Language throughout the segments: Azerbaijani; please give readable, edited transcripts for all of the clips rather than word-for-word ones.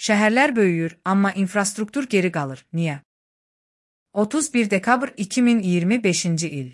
Şəhərlər böyüyür, amma infrastruktur geri qalır. Niyə? 31 dekabr 2025-ci il.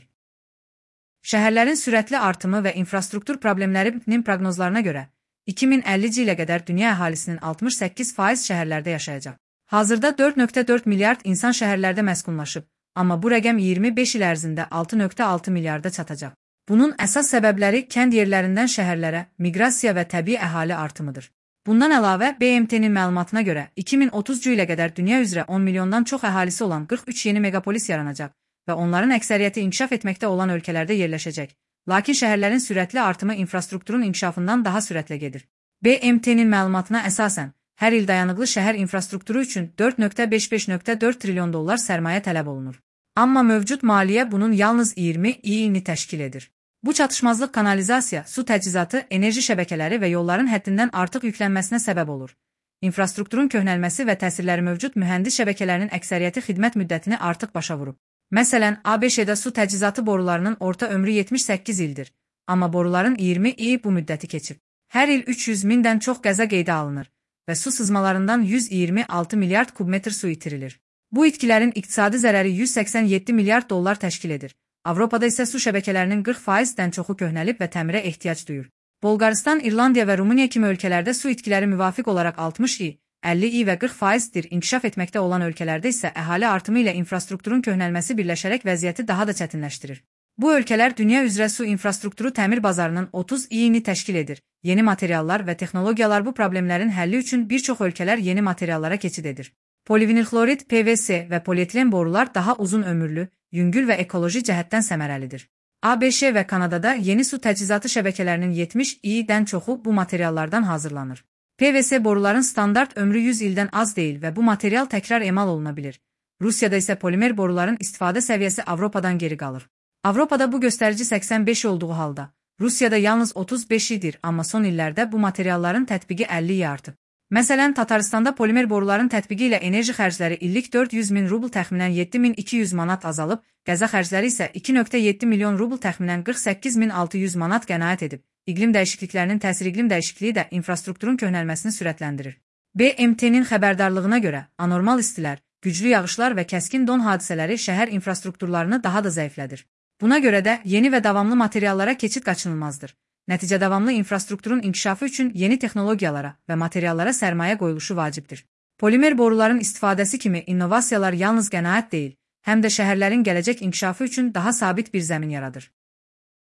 Şəhərlərin sürətli artımı və infrastruktur problemlərinin proqnozlarına görə 2050-ci ilə qədər dünya əhalisinin 68% şəhərlərdə yaşayacaq. Hazırda 4,4 milyard insan şəhərlərdə məskunlaşıb, amma bu rəqəm 25 il ərzində 6,6 milyarda çatacaq. Bunun əsas səbəbləri kənd yerlərindən şəhərlərə miqrasiya və təbii əhali artımıdır. Bundan əlavə, BMT-nin məlumatına görə 2030-cu ilə qədər dünya üzrə 10 milyondan çox əhalisi olan 43 yeni megapolis yaranacaq və onların əksəriyyəti inkişaf etməkdə olan ölkələrdə yerləşəcək. Lakin şəhərlərin sürətli artımı infrastrukturun inkişafından daha sürətlə gedir. BMT-nin məlumatına əsasən, hər il dayanıqlı şəhər infrastrukturu üçün 4,55,4 trilyon dollar sərmayə tələb olunur. Amma mövcud maliyyə bunun yalnız 20%-ni təşkil edir. Bu çatışmazlıq kanalizasiya, su təchizatı, enerji şəbəkələri və yolların həddindən artıq yüklənməsinə səbəb olur. İnfrastrukturun köhnəlməsi və təsirləri mövcud mühəndis şəbəkələrinin əksəriyyəti xidmət müddətini artıq başa vurub. Məsələn, ABŞ-da su təchizatı borularının orta ömrü 78 ildir, amma boruların 20 il bu müddəti keçib. Hər il 300 mindən çox qəza qeydə alınır və su sızmalarından 126 milyard kubmetr su itirilir. Bu itkilərin iqtisadi zərəri 187 milyard dollar təşkil edir. Avropada isə su şəbəkələrinin 40%-dən çoxu köhnəlib və təmirə ehtiyac duyur. Bolqarıstan, İrlandiya və Rumıniya kimi ölkələrdə su itkiləri müvafiq olaraq 60%, 50% və 40%dir. İnkişaf etməkdə olan ölkələrdə isə əhali artımı ilə infrastrukturun köhnəlməsi birləşərək vəziyyəti daha da çətinləşdirir. Bu ölkələr dünya üzrə su infrastrukturu təmir bazarının 30%-ni təşkil edir. Yeni materiallar və texnologiyalar bu problemlərin həlli üçün bir çox ölkələr yeni materiallara keçid edir. Polivinilxlorid, PVC və polietilen borular daha uzun ömürlü, yüngül və ekoloji cəhətdən səmərəlidir. ABŞ və Kanadada yeni su təchizatı şəbəkələrinin 70%-dən çoxu bu materiallardan hazırlanır. PVC boruların standart ömrü 100 ildən az deyil və bu material təkrar emal oluna bilir. Rusiyada isə polimer boruların istifadə səviyyəsi Avropadan geri qalır. Avropada bu göstərici 85 olduğu halda, Rusiyada yalnız 35-dir, amma son illərdə bu materialların tətbiqi 50-yə artıb. Məsələn, Tataristanda polimer boruların tətbiqi ilə enerji xərcləri illik 400 min rubl təxminən 7200 manat azalıb, qəza xərcləri isə 2,7 milyon rubl təxminən 48600 manat qənaət edib. İqlim dəyişikliklərinin təsiri iqlim dəyişikliyi də infrastrukturun köhnəlməsini sürətləndirir. BMT-nin xəbərdarlığına görə, anormal istilər, güclü yağışlar və kəskin don hadisələri şəhər infrastrukturlarını daha da zəiflədir. Buna görə də yeni və davamlı materiallara keçid qaçınılmazdır. Nəticə davamlı infrastrukturun inkişafı üçün yeni texnologiyalara və materiallara sərmayə qoyuluşu vacibdir. Polimer boruların istifadəsi kimi innovasiyalar yalnız qənaət deyil, həm də şəhərlərin gələcək inkişafı üçün daha sabit bir zəmin yaradır.